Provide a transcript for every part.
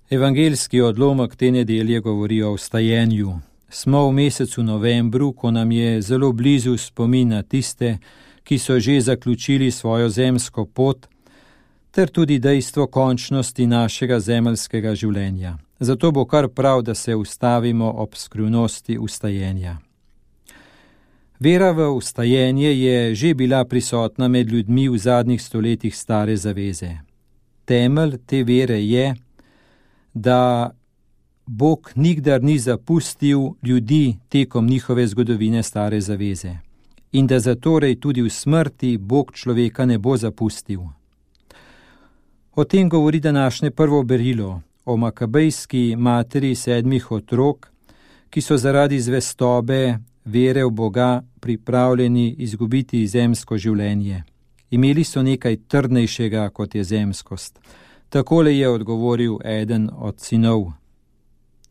Evangeljski odlomek te nedelje govori o vstajenju. Smo v mesecu novembru, ko nam je zelo blizu spomin na tiste, ki so že zaključili svojo zemsko pot, ter tudi dejstvo končnosti našega zemeljskega življenja. Zato bo kar prav, da se ustavimo ob skrivnosti vstajenja. Vera v vstajenje je že bila prisotna med ljudmi v zadnjih stoletjih stare zaveze. Temelj te vere je, da Bog nikdar ni zapustil ljudi tekom njihove zgodovine stare zaveze in da zatorej tudi v smrti Bog človeka ne bo zapustil. O tem govori današnje prvo berilo o makabejski materi 7 otrok, ki so zaradi zvestobe vere v Boga pripravljeni izgubiti zemsko življenje. Imeli so nekaj trdnejšega, kot je zemskost. Takole je odgovoril eden od sinov: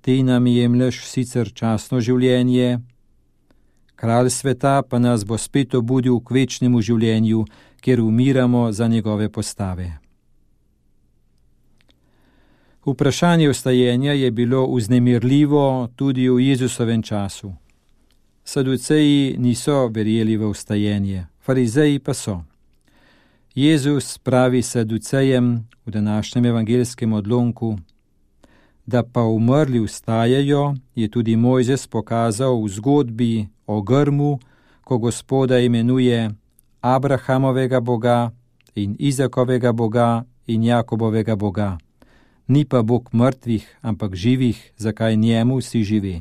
Ti nam jemlješ sicer časno življenje, kralj sveta pa nas bo spet obudil k večnemu življenju, kjer umiramo za njegove postave. Vprašanje vstajenja je bilo vznemirljivo tudi v Jezusovem času. Saduceji niso verjeli v vstajenje, farizeji pa so. Jezus pravi Saducejem v današnjem evangeljskem odlomku, da pa umrli vstajajo, je tudi Mojzes pokazal v zgodbi o grmu, ko Gospoda imenuje Abrahamovega Boga in Izakovega Boga in Jakobovega Boga. Ni pa Bog mrtvih, ampak živih, zakaj njemu vsi žive.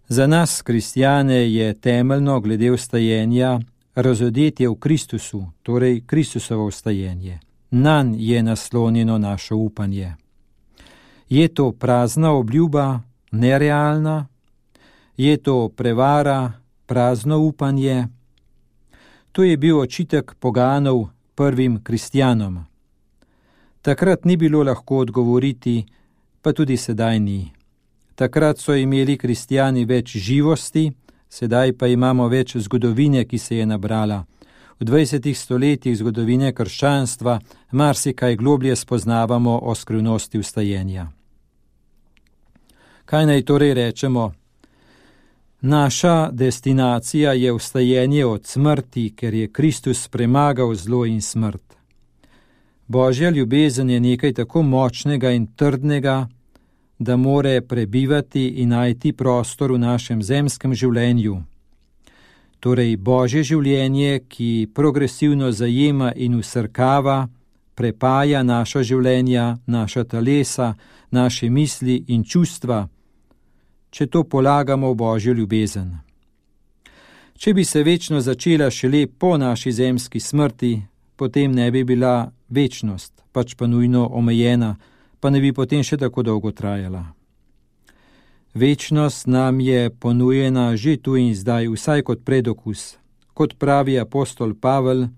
Za nas, kristjane, je temeljno glede vstajenja razodetje v Kristusu, torej Kristusovo vstajenje. Nanj je naslonjeno naše upanje. Je to prazna obljuba, nerealna? Je to prevara, prazno upanje? To je bil očitek poganov prvim kristjanom. Takrat ni bilo lahko odgovoriti, pa tudi sedaj ni. Takrat so imeli kristjani več živosti, sedaj pa imamo več zgodovine, ki se je nabrala. V 20 stoletjih zgodovine krščanstva marsikaj globlje spoznavamo o skrivnosti vstajenja. Kaj naj torej rečemo? Naša destinacija je vstajenje od smrti, ker je Kristus premagal zlo in smrt. Božja ljubezen je nekaj tako močnega in trdnega, da more prebivati in najti prostor v našem zemskem življenju. Torej Božje življenje, ki progresivno zajema in vsrkava, prepaja naša življenja, naša telesa, naše misli in čustva, če to polagamo v Božjo ljubezen. Če bi se večno začela šele po naši zemski smrti, potem ne bi bila večnost, pač pa nujno omejena, pa ne bi potem še tako dolgo trajala. Večnost nam je ponujena že tu in zdaj, vsaj kot predokus. Kot pravi apostol Pavel,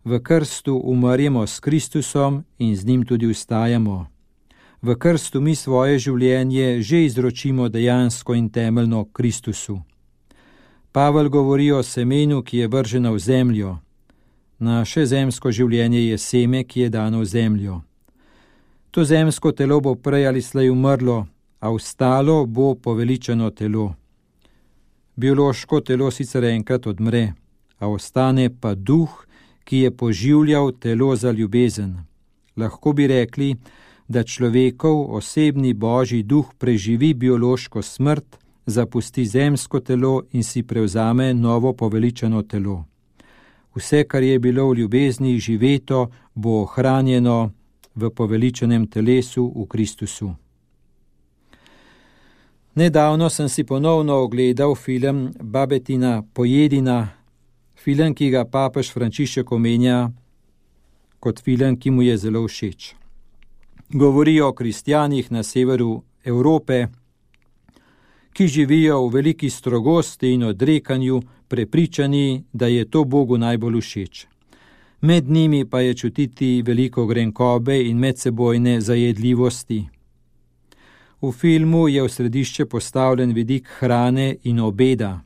v krstu umremo s Kristusom in z njim tudi vstajamo. V krstu mi svoje življenje že izročimo dejansko in temeljno Kristusu. Pavel govori o semenu, ki je vrženo v zemljo. Naše zemsko življenje je seme, ki je dano v zemljo. To zemsko telo bo prej ali slej umrlo, a ostalo bo poveličeno telo. Biološko telo sicer enkrat odmre, a ostane pa duh, ki je poživljal telo za ljubezen. Lahko bi rekli, da človekov osebni Božji duh preživi biološko smrt, zapusti zemsko telo in si prevzame novo poveličeno telo. Vse, kar je bilo v ljubezni živeto, bo ohranjeno v poveličenem telesu v Kristusu. Nedavno sem si ponovno ogledal film Babetina Pojedina, film, ki ga papež Frančišek omenja kot film, ki mu je zelo všeč. Govori o kristjanih na severu Evrope, ki živijo v veliki strogosti in odrekanju, prepričani, da je to Bogu najbolj všeč. Med njimi pa je čutiti veliko grenkobe in medsebojne zajedljivosti. V filmu je v središče postavljen vidik hrane in obeda.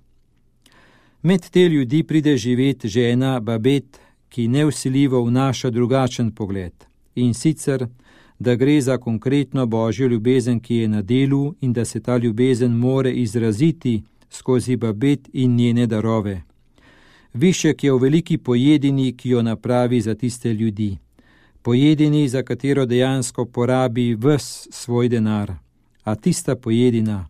Med te ljudi pride živet žena Babet, ki nevsiljivo vnaša drugačen pogled. in sicer, da gre za konkretno Božjo ljubezen, ki je na delu in da se ta ljubezen more izraziti skozi babet in njene darove. Višek je v veliki pojedini, ki jo napravi za tiste ljudi. Pojedini, za katero dejansko porabi ves svoj denar. A tista pojedina,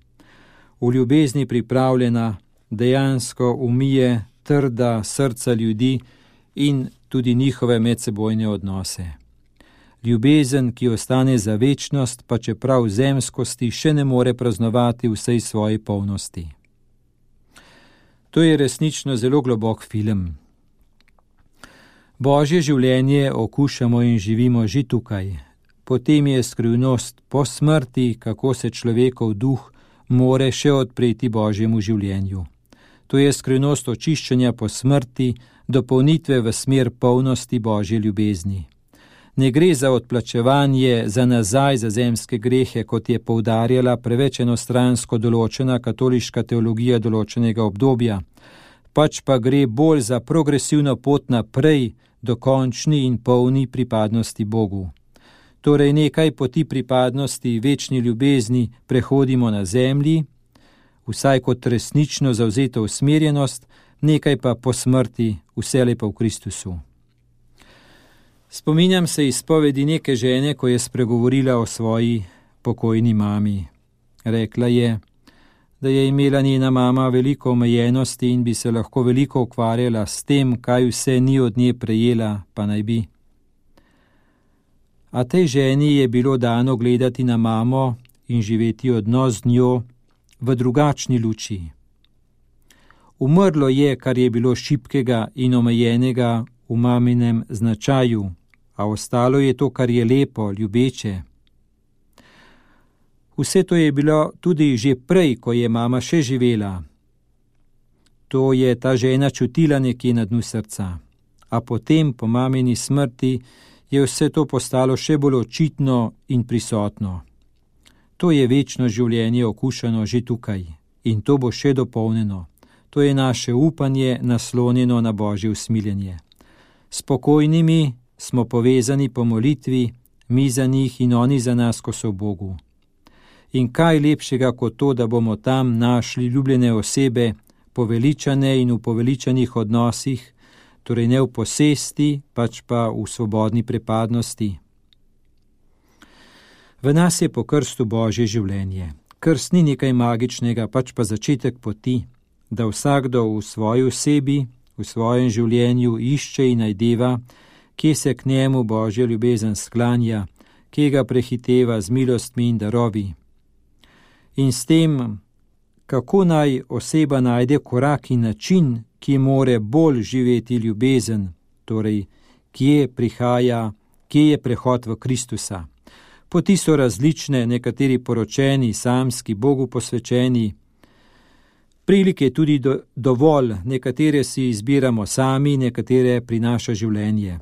v ljubezni pripravljena, dejansko umije trda srca ljudi in tudi njihove medsebojne odnose. Ljubezen, ki ostane za večnost, pa čeprav zemskosti še ne more praznovati vsej svoji polnosti. To je resnično zelo globok film. Božje življenje okušamo in živimo že tukaj. Potem je skrivnost po smrti, kako se človekov duh more še odpreti Božjemu življenju. To je skrivnost očiščenja po smrti, dopolnitve v smer polnosti Božje ljubezni. Ne gre za odplačevanje za nazaj za zemske grehe, kot je poudarjala preveč enostransko določena katoliška teologija določenega obdobja, pač pa gre bolj za progresivno pot naprej do končni in polni pripadnosti Bogu. Torej nekaj poti pripadnosti večni ljubezni prehodimo na zemlji, vsaj kot resnično zavzeto usmerjenost, nekaj pa po smrti, vselej pa v Kristusu. Spominjam se izpovedi neke žene, ko je spregovorila o svoji pokojni mami. Rekla je, da je imela njena mama veliko omejenosti in bi se lahko veliko ukvarjala s tem, kaj vse ni od nje prejela, pa naj bi. A tej ženi je bilo dano gledati na mamo in živeti odnos z njo v drugačni luči. Umrlo je, kar je bilo šibkega in omejenega v maminem značaju, a ostalo je to, kar je lepo, ljubeče. Vse to je bilo tudi že prej, ko je mama še živela. To je ta žena čutila nekje na dnu srca. A potem, po mamini smrti, je vse to postalo še bolj očitno in prisotno. To je večno življenje okušano že tukaj in to bo še dopolnjeno. To je naše upanje naslonjeno na Božje usmiljenje. S pokojnimi smo povezani po molitvi, mi za njih in oni za nas, ko so v Bogu. In kaj lepšega kot to, da bomo tam našli ljubljene osebe, poveličane in v poveličanih odnosih, torej ne v posesti, pač pa v svobodni pripadnosti. V nas je po krstu Božje življenje. Krst ni nekaj magičnega, pač pa začetek poti, da vsakdo v svoji osebi, v svojem življenju išče in najdeva, kje se k njemu Božja ljubezen sklanja, kje ga prehiteva z milostmi in darovi. In s tem, kako naj oseba najde korak in način, ki more bolj živeti ljubezen, torej kje prihaja, kje je prehod v Kristusa. Poti so različne, nekateri poročeni, samski, Bogu posvečeni. Prilike tudi dovolj, nekatere si izbiramo sami, nekatere prinaša življenje.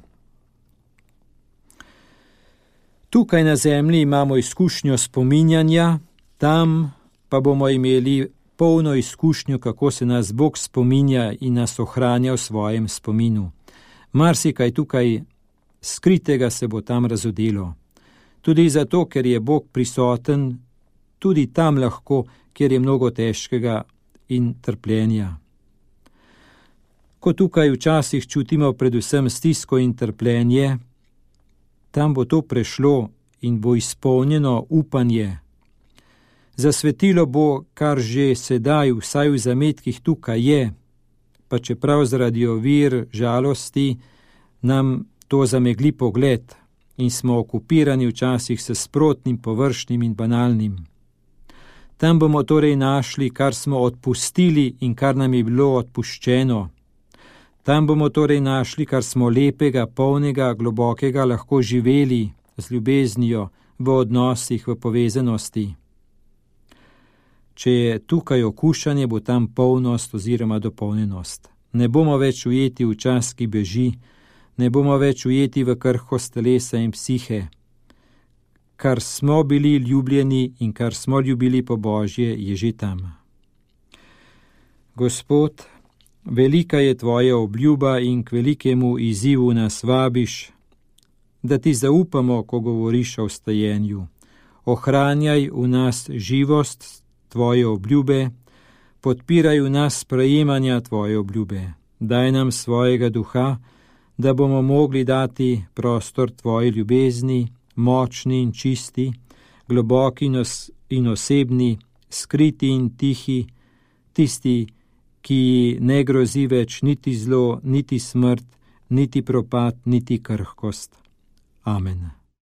Tukaj na zemlji imamo izkušnjo spominjanja, tam pa bomo imeli polno izkušnjo, kako se nas Bog spominja in nas ohranja v svojem spominu. Marsikaj tukaj skritega se bo tam razodelo. Tudi zato, ker je Bog prisoten, tudi tam lahko, kjer je mnogo težkega in trpljenja. Ko tukaj včasih čutimo predvsem stisko in trpljenje, tam bo to prešlo in bo izpolnjeno upanje. Zasvetilo bo, kar že sedaj vsaj v zametkih tukaj je, pa čeprav zaradi ovir, žalosti, nam to zamegli pogled in smo okupirani včasih s sprotnim, površnim in banalnim. Tam bomo torej našli, kar smo odpustili in kar nam je bilo odpuščeno. Tam bomo torej našli, kar smo lepega, polnega, globokega lahko živeli z ljubeznijo, v odnosih, v povezanosti. Če je tukaj okušanje, bo tam polnost oziroma dopolnjenost. Ne bomo več ujeti v čas, ki beži, ne bomo več ujeti v krhkost telesa in psihe. Kar smo bili ljubljeni in kar smo ljubili po Božje, je že tam. Gospod, velika je tvoja obljuba in k velikemu izzivu nas vabiš, da ti zaupamo, ko govoriš o vstajenju. Ohranjaj v nas živost tvoje obljube, podpiraj v nas sprejemanja tvoje obljube. Daj nam svojega duha, da bomo mogli dati prostor tvoji ljubezni, močni in čisti, globoki in osebni, skriti in tihi, tisti, ki ne grozi več niti zlo, niti smrt, niti propad, niti krhkost. Amen.